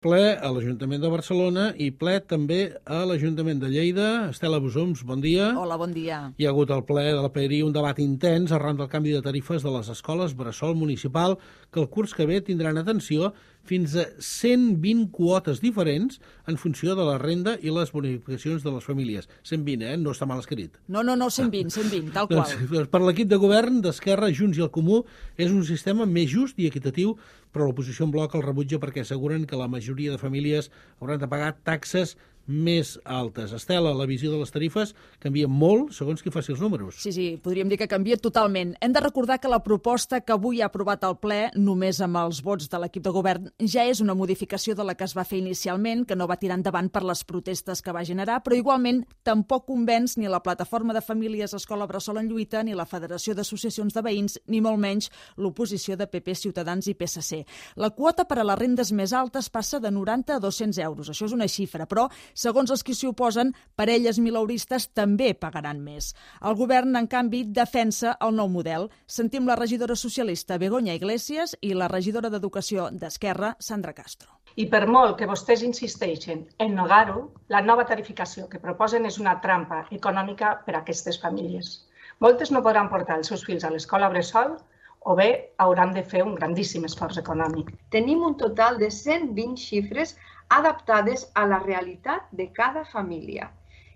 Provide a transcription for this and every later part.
Ple a l'Ajuntament de Barcelona i ple també a l'Ajuntament de Lleida. Estela Bosums, bon dia. Hola, bon dia. Hi ha hagut al ple de la PRI un debat intens arran del canvi de tarifes de les escoles bressol municipal que el curs que ve tindran atenció fins a 120 quotes diferents en funció de la renda i les bonificacions de les famílies. 120, no està mal escrit. No, 120, tal qual. Doncs, per l'equip de govern d'Esquerra, Junts i el Comú és un sistema més just i equitatiu, però l'oposició en bloc el rebutja perquè asseguren que la majoria de famílies hauran de pagar taxes més altes. Estela, la visió de les tarifes canvia molt segons qui faci els números. Sí, podríem dir que canvia totalment. Hem de recordar que la proposta que avui ha aprovat el ple, només amb els vots de l'equip de govern, ja és una modificació de la que es va fer inicialment, que no va tirar endavant per les protestes que va generar, però igualment tampoc convenç ni la Plataforma de Famílies Escola Bressol en Lluita, ni la Federació d'Associacions de Veïns, ni molt menys l'oposició de PP, Ciutadans i PSC. La quota per a les rendes més altes passa de 90 a 200 euros. Això és una xifra, però segons els qui s'hi oposen, parelles mileuristes també pagaran més. El govern, en canvi, defensa el nou model. Sentim la regidora socialista Begoña Iglesias i la regidora d'Educació d'Esquerra, Sandra Castro. I per molt que vostès insisteixen en negar-ho, la nova tarificació que proposen és una trampa econòmica per a aquestes famílies. Moltes no podran portar els seus fills a l'escola bressol o bé hauran de fer un grandíssim esforç econòmic. Tenim un total de 120 xifres adaptades a la realitat de cada família.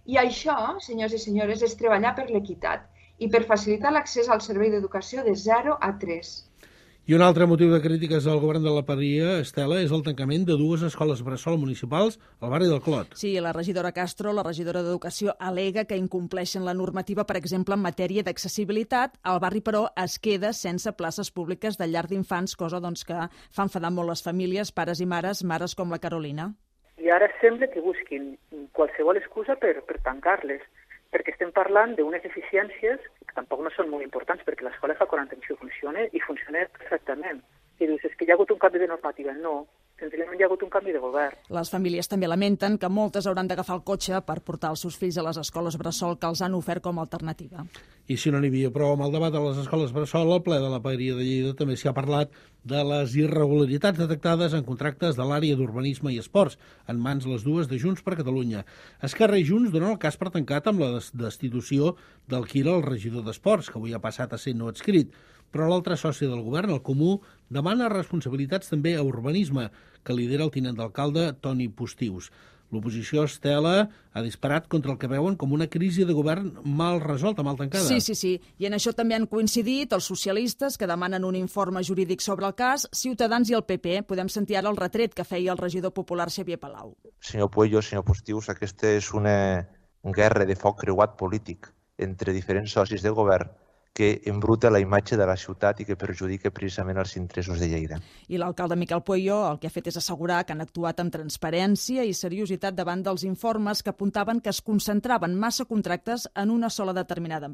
I això, senyors i senyores, és treballar per l'equitat i per facilitar l'accés al servei d'educació de 0 a 3. I un altre motiu de crítiques al govern de la Paria, Estela, és el tancament de 2 escoles bressol municipals al barri del Clot. Sí, la regidora Castro, la regidora d'Educació, al·lega que incompleixen la normativa, per exemple, en matèria d'accessibilitat. El barri, però, es queda sense places públiques de llar d'infants, cosa que fa enfadar molt les famílies, pares i mares com la Carolina. I ara sembla que busquin qualsevol excusa per tancar-les, perquè estem parlant d'unes eficiències que tampoc no són molt importants, perquè l'escola fa 40 anys que funciona i funciona perfectament. I dius, és que hi ha hagut un canvi de normativa. No, senzillament hi ha hagut un canvi de govern. Les famílies també lamenten que moltes hauran d'agafar el cotxe per portar els seus fills a les escoles bressol que els han ofert com a alternativa. I si no n'hi havia prou amb el debat de les escoles bressol, al ple de la Paria de Lleida també s'hi ha parlat de les irregularitats detectades en contractes de l'àrea d'urbanisme i esports, en mans les dues de Junts per Catalunya. Esquerra i Junts donen el cas per tancat amb la destitució del Quira, el regidor d'Esports, que avui ha passat a ser no adscrit. Però l'altre soci del govern, el Comú, demana responsabilitats també a urbanisme, que lidera el tinent d'alcalde Toni Postius. L'oposició, Estela, ha disparat contra el que veuen com una crisi de govern mal resolta, mal tancada. Sí. I en això també han coincidit els socialistes, que demanen un informe jurídic sobre el cas, Ciutadans i el PP. Podem sentir ara el retret que feia el regidor popular Xavier Palau. Senyor Puello, senyor Postius, aquesta és una guerra de foc creuat polític entre diferents socis de govern que embruta la imatge de la ciutat i que perjudica precisament els interessos de Lleida. I l'alcalde Miquel Puello el que ha fet és assegurar que han actuat amb transparència i seriositat davant dels informes que apuntaven que es concentraven massa contractes en una sola determinada